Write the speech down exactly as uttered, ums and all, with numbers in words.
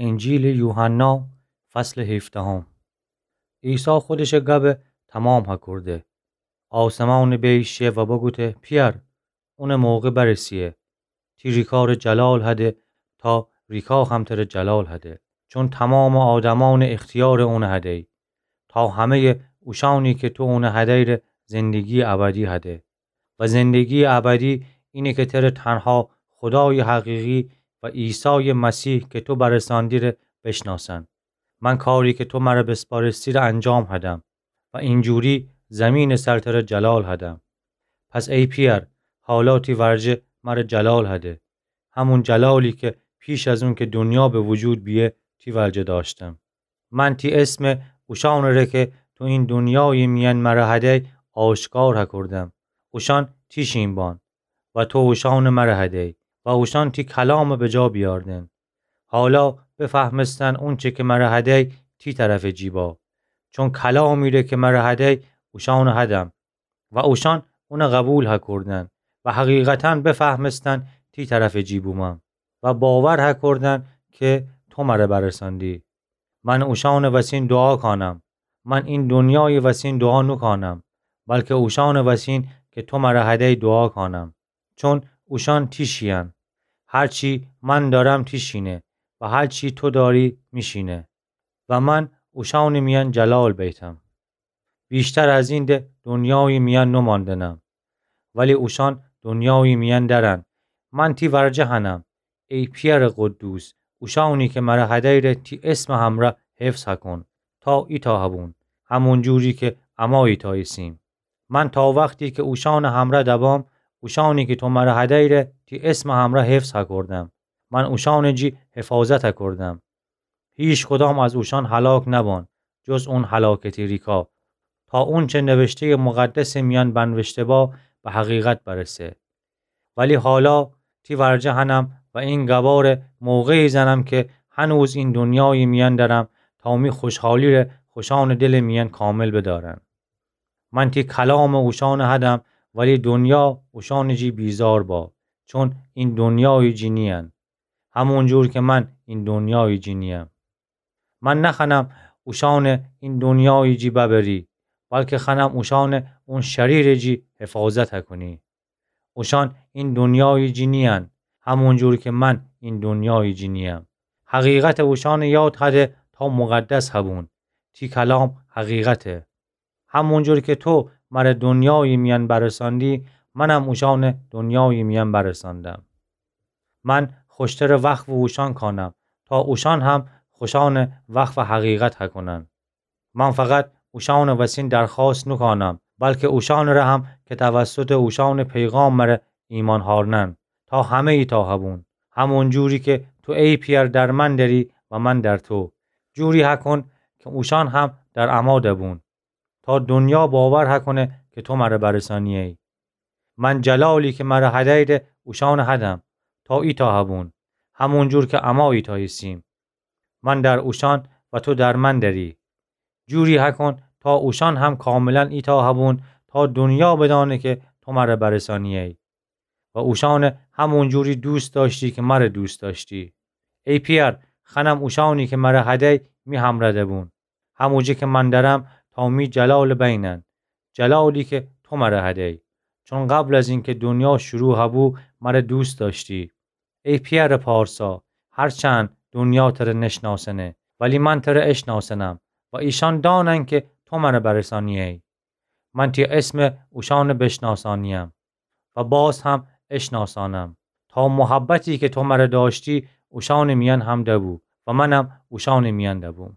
انجیلٚ یوحنا، فصلٚ هیفدهم. عیسی خودشٚ گبٚ تمام هکورده. آسمانٚ بیل شه و بگوته: پیأر، اونٚ موقع برسه‌یه. تی ریکارٚ جلال هده تا ریکا هم تره جلال هده. چون تمامٚ آدمأنٚ اختیارٚ اون هده‌یی، تا همه‌یٚ اوشأنی که تو اون هده‌یی ره زندگییٚ ابدی هده. و زندگییٚ ابدی اینه که تره تنها خودایٚ حقیقی و عیسایٚ مسیح که تو برسأندی ره بشناسن. من کاری که تو مره بسپارستی ره انجام هدم و اینجوری زمینٚ سر تره جلال هدم. پس ای پیأر، حالا تی ورجه مره جلال هده، همون جلالی که پیش از اون که دونیا به وجود بیه تی ورجه داشتم. من تی اسم اوشأنٚ ره که تو این دونیایٚ میأن مره هده‌یی آشکار هکوردم. اوشأن تیشین بان و تو اوشأنٚ مره هده‌یی و اوشأن تی کلامٚ بجا بیاردن. حالا بفهمستن اونچه که مره هده‌یی تی طرفٚ جی با. چون کلامی ره که مره هده‌یی اوشأنٚ هدم و اوشأن اونٚ قبول هکوردن و حقیقتا بفهمستن تی طرفٚ جی بومم و باور هکوردن که تو مره برسأندی. من اوشأنٚ وسین دوعا کانم. من این دونیایٚ وسین دوعا نوکانم، بلکه اوشأنٚ وسین که تو مره هده‌یی دوعا کانم. چون اوشأن تیشیین. هرچی من دأرم تیشینه و هرچی تو دأری میشینه و من اوشأنٚ میأن جلال بیتم. ویشتر از این ده دونیایٚ میأن نوماندنم، ولی اوشأن دونیایٚ میأن دأرن. من تی ورجه هنم. ای پیأرٚ قدوس، اوشأنی که مره هده‌یی ره تی اسمٚ همرأ حفظ هکون تا ایتأ هبون، همون جوری که اما ایتأ ایسیم. من تا وختی که اوشأنٚ همرأ دبام، اوشأنی که تو مره هده‌یی ره تی اسمٚ همرأ حفظ هکوردم. من اوشأنٚ جی حفاظت هکوردم. هیکدام از اوشأن هلاک نبان، جز اون هلاکتی ریکا، تا اونچه نوشته‌یٚ مقدسٚ میأن بنوشته با به حقیقت برسه. ولی حالا تی ورجه هنم و این گبا ره موقعی زنم که هنوز این دونیایٚ میأن دأرم تا می خوشحالی ره خوشأنٚ دلٚ میأن کامل بدأرن. من تی کلامٚ اوشأنٚ هدم، ولی دونیا اوشأنٚ جی بیزار با، چون این دونیایٚ جی نیین، همون جور که من این دونیایٚ جی نییم. من نخوأنم اوشأنٚ این دونیایٚ جی ببری، بلکه خوأنم اوشأنٚ اون شریرٚ جی حفاظت هکونی. اوشأن این دونیایٚ جی نیین، همون جور که من این دونیایٚ جی نییم. حقیقتٚ اوشأنٚ یاد هده تا مقدس هبون. تی کلام حقیقته. همون جور که تو مره دونیایٚ میأن برسأندی، منم اوشأنٚ دونیایٚ میأن برسأندم. من خوشترٚ وقف اوشأن کانم، تا اوشأن هم خوشأنٚ وقف حقیقت هکونن. من فقط اوشأنٚ وسین درخوأست نوکانم، بلکه اوشأنٚ ره هم که توسطٚ اوشأنٚ پیغام مره ایمأن هأرنن، تا همه ایتأ هبون، همون جوری که تو ای پیأر در من دأری و من در تو. جوری هکون که اوشأن هم در اما دبون، تا دونیا باور هکونه که تو مره برسأنیه‌یی. من جلالی که مره هده‌یی ره اوشأنٚ هدم، تا ایتأ هبون، همون جور که اما ایتأ ایسیم. من در اوشأن و تو در من دأری. جوری هکون تا اوشأن هم کاملا ایتأ هبون، تا دونیا بدأنه که تو مره برسأنیه‌یی و اوشأنٚ همون جوری دوست دأشتی که مره دوست دأشتی. ای پیأر، خوأنم اوشأنی که مره هده‌یی می همرأ دبون، هموجه که من دأرم، تا می جلالٚ بینن، جلالی که تو مره هده‌یی. چون قبل از اینکه دونیا شروع هبو، مره دوست دأشتی. ای پیأرٚ پارسا، هرچند دونیا تره نشناسنه، ولی من تره اشناسنم و ایشأن دأنن که تو مره برسأنیه‌یی. من تی اسم اوشأنٚ بشناسأنیم و باز هم اشناسأنم، تا محبتی که تو مره دأشتی اوشأنٚ میأن هم دبو و منم اوشأنٚ میأن دبوم.